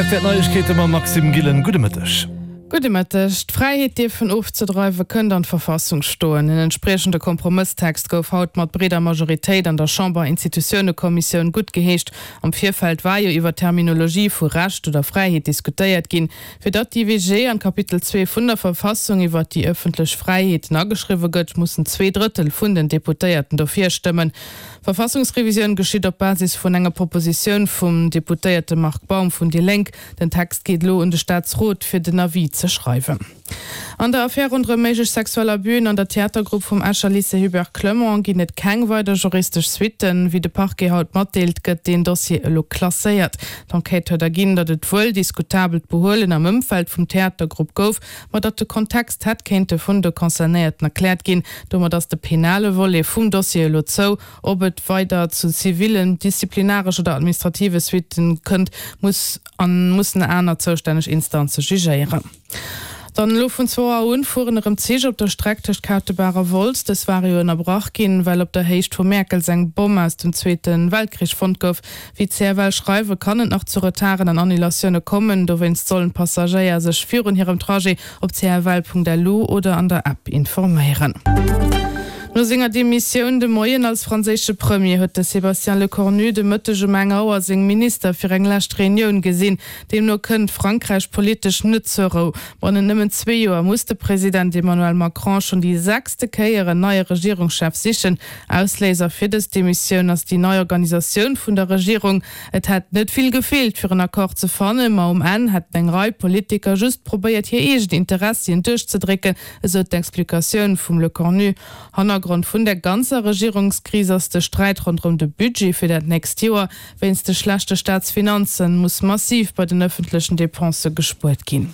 Rtl Neiegkeete mam Maxime Gillen. Gudde Mëtteg. Gudde Mëtteg. D'Fräiheet dierfen ofzedreiwe kënnt an d'Verfassung stoen. En entspriechende Kompromësstext gouf haut mat breeder Majoritéit an der Chamber-Institutiounekommissioun guttgeheescht. Am Virfeld war jo iwwer d'Terminologie vu Recht oder Fräiheet diskutéiert ginn. Fir datt d'IWG an d'Kapitel 2 vun der Verfassung iwwer déi ëffentlech Fräiheeten ageschriwwe gëtt, mussen 2/3 vun den Deputéierten dofir stëmmen. D'Verfassungsrevisioun geschitt op Basis vun enger Propositioun vum Deputéierte Marc Baum vun déi Lénk. Den Text geet elo un de Staatsrot, fir den Avis ze schreiwen. An der Affär ronderëm méiglech sexuell Abüen an der Theatergrupp vum Escher Lycée Hubert Clement ginn et keng weider juristesch Suitten. Wéi de Parquet haut matdeelt, gëtt deen Dossier elo klasséiert. D'Enquête huet erginn, datt et wuel diskutabelt Behuelen am Ëmfeld vum Theatergrupp gouf, ma datt de Kontext hätt kéinte vun de Concernéierten erkläert ginn. Domat ass de penale Volet vum Dossier elo zou. Ob et weider zu zivilen, disziplinaresch oder administrative Suitten kënnt, muss an mussen aner zoustänneg Instanze jugéieren. Dann elo vun zwou Auer un fueren erëm Zich op der Streck tëscht Kautebaach a Wolz. Dës ware jo ënnerbrach ginn, well op der Héicht vu Mäerkels eng Bomm aus dem Zweete Weltkrich fonnt gouf. Wéi d'CFL schreiwe kann et nach zu Retarden an Annulatioune kommen. Dowéinst sollen d'Passagéier sech virun hirem Trajet op cfl.lu oder an der App informéieren. No senger Demissioun de Moien als franséische Premier huet de Sébastien Lecornu de Mëtteg um eng Auer seng Minister fir eng lescht Reunioun gesinn. Deemno kënnt Frankräich politesch net zur Rou. Bannent nëmmen zwee Joer muss de President Emmanuel Macron schonn déi sechste Kéier en neie Regierungschef sichen. Ausléiser fir dës Demissioun ass déi nei Organisatioun vun der Regierung. Et hätt net vill gefeelt, fir en Accord ze fannen, ma um Enn hätten eng Rei Politiker just probéiert, hir eegen Interessien duerchzedrécken, esou d'Explikatioun vum Lecornu. Hannergrond vun der ganzer Regierungskris ass de Sträit ronderëm de Budget fir dat nächst Joer. Wéinst de schlechte Staatsfinanzen muss massiv bei den ëffentlechen Depensë gespuert ginn.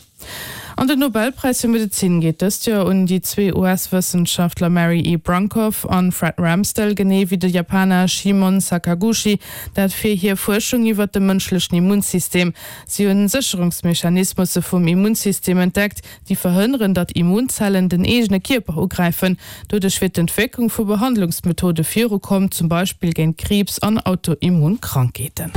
An den Nobelpräis fir Medezin geet dëst Joer un déi zwee US-Wëssenschaftler Mary E. Brunkow an Fred Ramsdell, genee wéi de Japaner Shimon Sakaguchi, dat fir hir Fuerschung iwwer de mënschlechen Immunsystem. Si hunn Sécherungsmechanismusse vum Immunsystem entdeckt, déi verhënneren, datt Immunzellen den eegene Kierper ugräifen. Doduerch wier d'Entwécklung vu Behandlungsmethode virukomm, zum Beispill géint Kriibs an Autoimmunkrankheeten.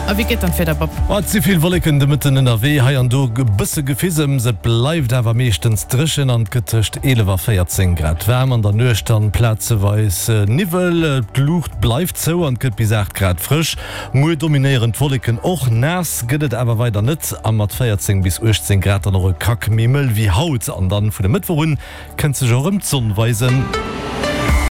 A wéi geet dann d'Wieder, Bob? Et si vill Wolleken de Mëtten ënnerwee, hei an do e bësse Gefisems. Et bleift awer meeschtens dréchen an et gëtt tëscht 11 a 14 Grad waarm. An der Nuecht dann plazeweis Niwwel, d'Luucht bleift zou an et gëtt bis 8 Grad frësch. Muer dominéieren d'Wolleken och, naass gëtt et awer weider net a mat 14 bis 18 Grad dann och e Krack méi mëll wéi haut. An dann vun e Mëttwoch un kënnt sech och erëm d'Sonn weisen.